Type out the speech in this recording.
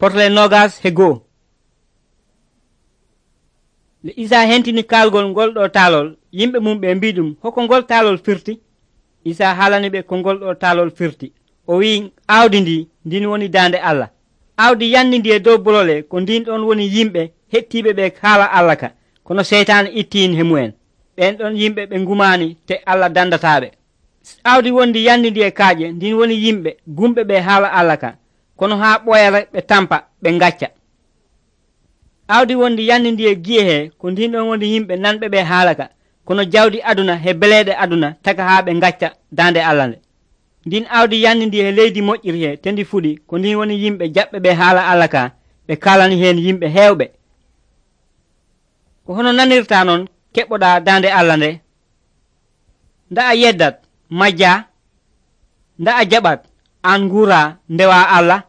Porle nogas he goo. Nde Isa hentini kalgol ngol ɗo taalol, yimɓe mum ɓe mbi ɗum, hoko ngol taalol firti? Isa haalani ɓe ko ngol ɗo taalol firti. O wi'i, aawdi ndin woni daande Allah. Aawdi yanni ndi e dow bolole ko ndin ɗon woni yimɓe hettiiɓe ɓe haala Allah ka, kono seytaane ittiin he mu'en. ɓen ɗon yimɓe ɓe ngumaani te Allah dandataaɓe. Aawdi wondi yanni ndi e kaaƴe ndin woni yimɓe gumɓe ɓe haala Allah ka, kono haa ɓoyara ɓe tampa ɓe ngacca. Aawdi wondi yanni ndi e gi'e he ko ndin ɗon woni yimɓe nanɓe ɓe haala ka, kono jawdi aduna he beleeɗe aduna taka haa ɓe ngacca daande Allah nde. Ndin aawdi yanni ndi he leydi moƴƴiri he te ndi fuɗi ko ndin woni yimɓe jaɓɓe ɓe haala Allah ka, ɓe kaalani heen yimɓe heewɓe. Ko hono nanirta noon keɓɓoɗa daande Allah nde? Nda a yeddat majja? Nda a jaɓat an nguura ndewa Allah?